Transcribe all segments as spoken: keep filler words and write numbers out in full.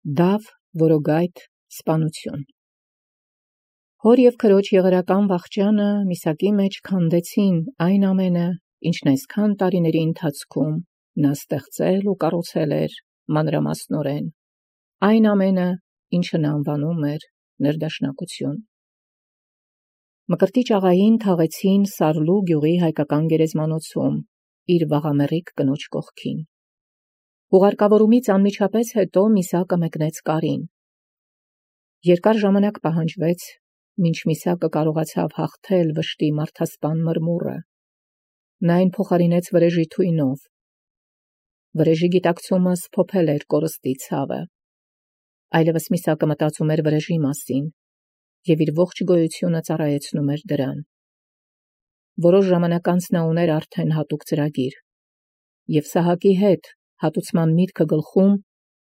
Դավ, որոգայթ, սպանություն։ Հոր և քրոջ եղերական վախճանը Միսակի մեջ քանդեցին այն ամենը, ինչն այսքան տարիների ընթացքում նա ստեղծել ու կառուցել էր մանրամասնորեն, այն ամենը, ինչը նա անվանում էր ներդաշնակություն։ Մկրտիչ աղային թաղեցին Սարլու գյուղի հայկական գերեզմանոցում, իր վաղամեռիկ կնոջ կողքին։ Ուղարկավորումից անմիջապես հետո Միսակը մեկնեց Կարին։ Երկար ժամանակ պահանջվեց, մինչ Միսակը կարողացավ հաղթել վշտի մարդասպան մրմուռը։ Նա այն փոխարինեց վրեժի թույնով։ Վրեժի գիտակցումը սփոփել էր կորստի ցավը։ Այլևս Միսակը մտածում էր վրեժի մասին և իր ողջ գոյությունը ծառայեցնում էր դրան։ Որոշ ժամանակ անց նա ուներ արդեն հատուկ ծրագիր և Սահակի հետ հատուցման միտքը գլխում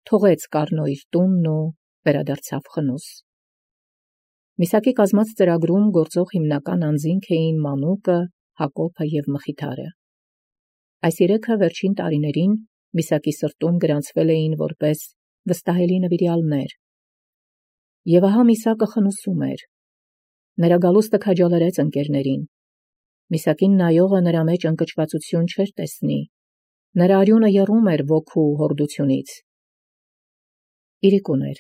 թողեց Կառնո իր տունն ու վերադարձավ խնուս։ Միսակի կազմած ծրագրում գործող հիմնական անձինք էին Մանուկը, Հակոբը և Մխիթարը։ Այս երեքը վերջին տարիներին Միսակի սրտում գրանցվել էին որպես վստահելի նվիրյալներ։ Եվ ահա Միսակը խնուսում էր։ Նրա գալուստը քաջալերեց ընկերներին։ Միսակին նայողը նրա մեջ ընկճվածություն չէր տեսնի։ Նրա արյունը եռում էր ոգու հորդությունից։ Իրիկուն էր։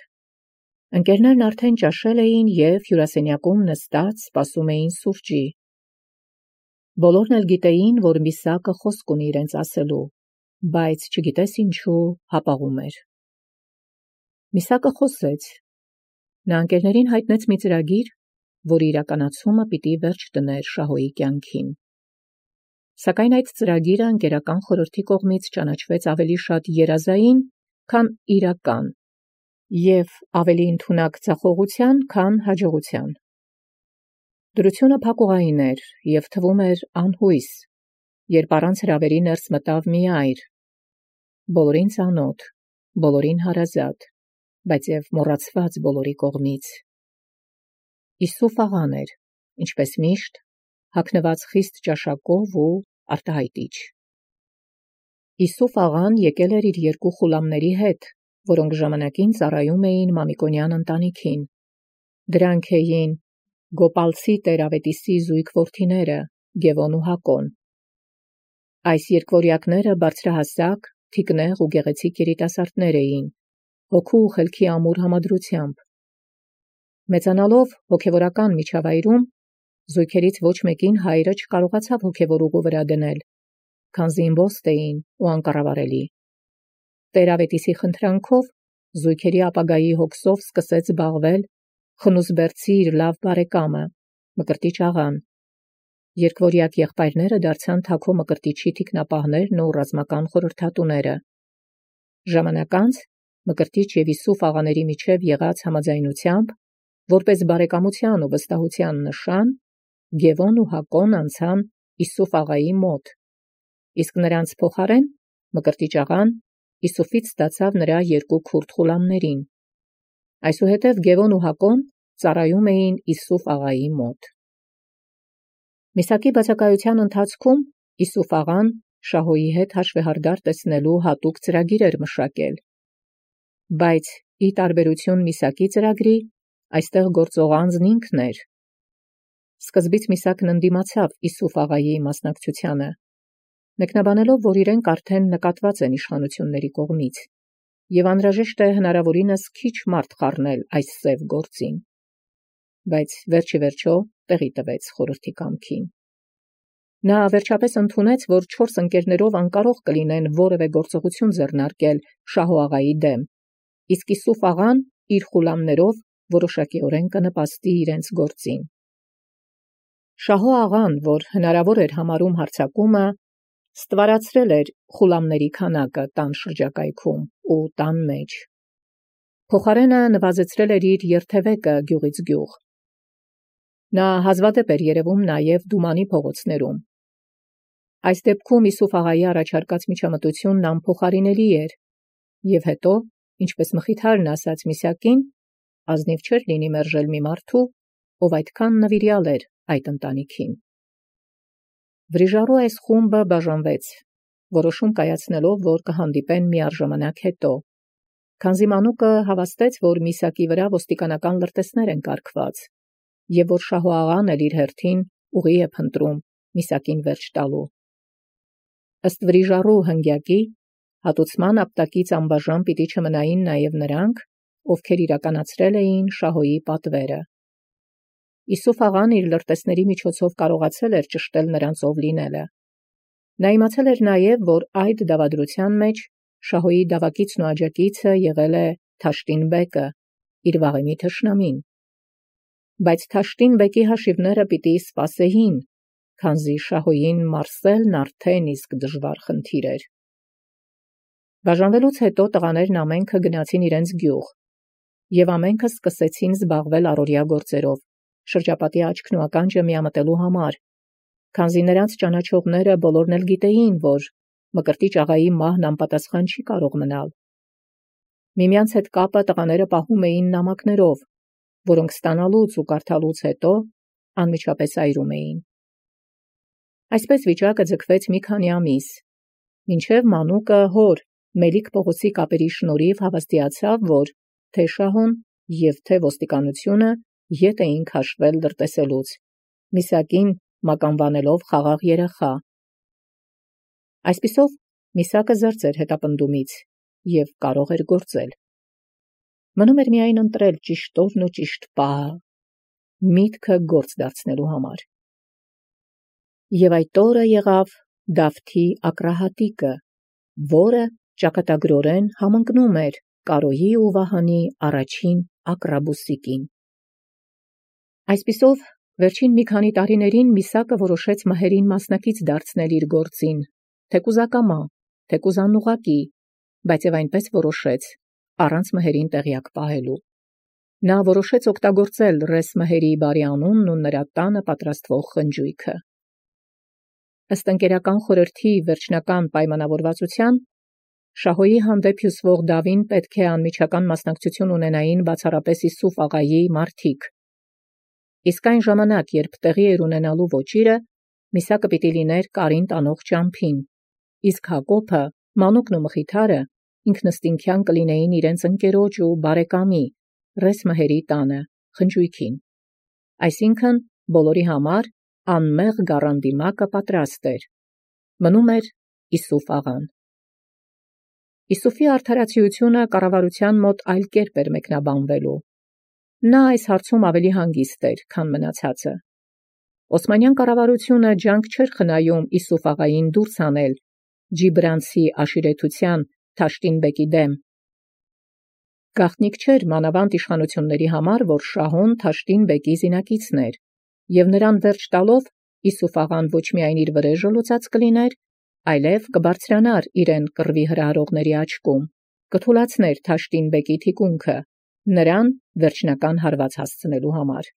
Ընկերներն արդեն ճաշել էին և հյուրասենյակում նստած սպասում էին սուրճի։ Բոլորն էլ գիտեին, որ Միսակը խոսք ունի իրենց ասելու, բայց չգիտես ինչու հապաղում էր։ Միսակը խոսեց։ Նա ընկերներին հայտնեց մի ծրագիր, որի իրականացումը պիտի վերջ դներ Շահոյի կյանքին։ Սակայն այդ ծրագիրը ընկերական խորհրդի կողմից ճանաչվեց ավելի շատ երազային, քան իրական, և ավելի ընդունակ ձախողության, քան հաջողության։ Դրությունը փակուղային էր և թվում էր անհույս, երբ առանց հրավերի ներս մտավ մի այր, բոլորին ծանոթ, բոլորին հարազատ, բայց և մոռացված բոլորի կողմից։ Իսուֆ աղան էր, ինչպես միշտ, հագնված խիստ ճաշակով ու արտահայտիչ։ Իսուֆ աղան եկել էր իր երկու խուլամների հետ, որոնք ժամանակին ծառայում էին Մամիկոնյան ընտանիքին։ Դրանք էին Գոպալցի տեր-ավետիսի զույգ որդիները Գևոն ու Հակոն։ Այս երկվորյակները բարձրահասակ, թիկնեղ ու գեղեցիկ երիտասարդներ էին, հոգու ու խելքի ամուր համադրությամբ։ Մեծանալով հոգևորական միջավայրում, զույգերից ոչ մեկին հայրը չկարողացավ հոգևոր ուղու վրա դնել, քանզի իմբոստ էին ու անկառավարելի։ Տեր-ավետիսի խնդրանքով զույգերի ապագայի հոգսով սկսեց զբաղվել Խնուսբերդցի իր լավ բարեկամը, Մկրտիչ աղան։ Երկվորյակ եղբայրները դարձան Թաքո Մկրտիչի թիկնապահներն ու ռազմական խորհրդատուները։ Ժամանակ անց Մկրտիչ և Իսուֆ աղաների միջև եղած համաձայնությամբ, որպես բարեկամության ու վստահության նշան, Գևոն ու Հակոն անցան Իսուֆ աղայի մոտ, իսկ նրանց փոխարեն Մկրտիչ աղան Իսուֆից ստացավ նրա երկու քուրդ խուլամներին։ Այսուհետև Գևոն ու Հակոն ծառայում էին Իսուֆ աղայի մոտ։ Միսակի բացակայության ընթացքում Իսուֆ աղան Շահոյի հետ հաշվեհարդար տեսնելու հատուկ ծրագիր էր մշակել։ Բայց ի տարբերություն Միսակի ծրագրի, այստեղ գործող անձն ինքն էր։ Սկզբից Միսակն ընդդիմացավ Իսուֆ աղայի մասնակցությանը, մեկնաբանելով, որ իրենք արդեն նկատված են իշխանությունների կողմից, և անհրաժեշտ է հնարավորինս քիչ մարդ խառնել այս սև գործին։ Բայց վերջ ի վերջո տեղի տվեց խորհրդի կամքին։ Նա վերջապես ընդունեց, որ չորս ընկերներով անկարող կլինեն որևէ գործողություն ձեռնարկել Շահո աղայի դեմ, իսկ Իսուֆ աղան իր խուլամներով որոշակիորեն կնպաստի իրենց գործին։ Շահո աղան, որ հնարավոր էր համարում հարձակումը, ստվարացրել էր խուլամների քանակը տան շրջակայքում ու տան մեջ։ Փոխարենը նվազեցրել էր իր երթևեկը գյուղից գյուղ։ Նա հազվադեպ էր երևում նաև Դումանի փողոցներում։ Այս դեպքում Իսուֆ աղայի առաջարկած միջամտությունն անփոխարինելի էր, և հետո, ինչպես Մխիթարն ասաց Միսակին, ազնիվ չէր լինի մերժել մի մարդու, ով այդքան նվիրյալ էր այդ ընտանիքին։ Վրիժառու այս խումբը բաժանվեց, որոշում կայացնելով, որ կհանդիպեն միառժամանակ հետո, Քանզի մանուկը հավաստեց, որ Միսակի վրա ոստիկանական լրտեսներ են կարգված, եւ որ շահոաղան էլ իր հերթին ուղի է փնտրում Միսակին վերջ տալու։ Ըստ վրիժառու հնգյակի, հատուցման ապտակից անբաժան պիտի չմնային նաև նրանք, ովքեր իրականացրել էին շահոյի պատվերը։ Իսուֆ աղան իր լրտեսների միջոցով կարողացել էր ճշտել նրանցով լինելը։ Նա իմացել էր նաև, որ այդ դավադրության մեջ շահոյի դավակիցն ու աջակիցը եղել է Թաշտին բեկը, իր վաղեմի թշնամին։ Բայց Թաշտին բեկի հաշիվները պիտի սպասեին, քանզի շահոյին մարսելն արդեն իսկ դժվար խնդիր էր։ Բաժանվելուց հետո տղաներն ամենքը գնացին իրենց գյուղ, եւ ամենքը սկսեցին զբաղվել առօրյա գործերով, շրջապատի աչքն ու ականջը միամտելու համար, քանզի նրանց ճանաչողները բոլորն էլ գիտեին, որ Մկրտիչ աղայի մահն անպատասխան չի կարող մնալ։ Միմյանց հետ կապը տղաները պահում էին նամակներով, որոնք ստանալուց ու կարդալուց հետո անմիջապես այրում էին։ Այսպես վիճակը ձգվեց մի քանի ամիս, մինչև մանուկը հոր Մելիք Պողոսի կապերի շնորհիվ հավաստիացավ, որ թե շահուն եւ թե ոստիկանությունը ետ էին քաշվել լրտեսելուց, Միսակին մականվանելով խաղաղ երեխա։ Այսպիսով Միսակը զերծ էր հետապնդումից եւ կարող էր գործել։ Մնում էր միայն ընտրել ճիշտ օրն ու ճիշտ պահը, միտքը գործ դարձնելու համար։ Եվ այդ օրը եղավ Դավթի ակրահատիկը, որը ճակատագրորեն համընկնում էր Կարոյի ու Վահանի առաջին ակրաբուսիկին։ Այսպիսով վերջին մի քանի տարիներին Միսակը որոշեց մահերին մասնակից դարձնել իր գործին, թեկուզ ակամա, թեկուզ անուղակի, բայց եւ այնպես որոշեց, առանց մահերին տեղյակ պահելու։ Նա որոշեց օգտագործել ռես մահերի բարի անունն ու նրա տանը պատրաստվող խնջույքը։ Ըստ ընկերական խորհրդի վերջնական պայմանավորվածության, շահոյի հանդեպ հյուսվող դավին պետք է անմիջական մասնակցություն ունենային բացառապես Իսուֆ աղայի մարդիկ։ Իսկ այն ժամանակ, երբ տեղի էր ունենալու ոճիրը, Միսակը պիտի լիներ կարին տանող ճամփին, իսկ Հակոբը, մանուկն ու մխիթարը ինքնըստինքյան կլինեին իրենց ընկերոջ ու բարեկամի ռես մահերի տանը, խնջույքին։ Այսինքն բոլորի համար անմեղ գառանդիմակը պատրաստ էր։ Մնում էր Իսուֆ աղան։ Իսուֆի արդարացիությունը կառավարության մոտ այլ կերպ էր մեկնաբանվելու։ Նա այս հարցում ավելի հանգիստ էր, քան մնացածը։ Օսմանյան կառավարությունը ջանք չէր խնայում Իսուֆ աղային դուրս հանել Ջիբրանցի աշիրետության Թաշտին բեկի դեմ։ Գաղտնիք չէր մանավանդ իշխանությունների համար, որ շահուն Թաշտին բեկի զինակիցն էր, եւ նրան վերջ տալով Իսուֆ աղան ոչ միայն իր վրեժը լուծած կլիներ, այլև կբարձրանար իրեն կռվի հրահրողների աչքում, կթուլացներ Թաշտին բեկի թիկունքը, նրան վերջնական հարված հասցնելու համար։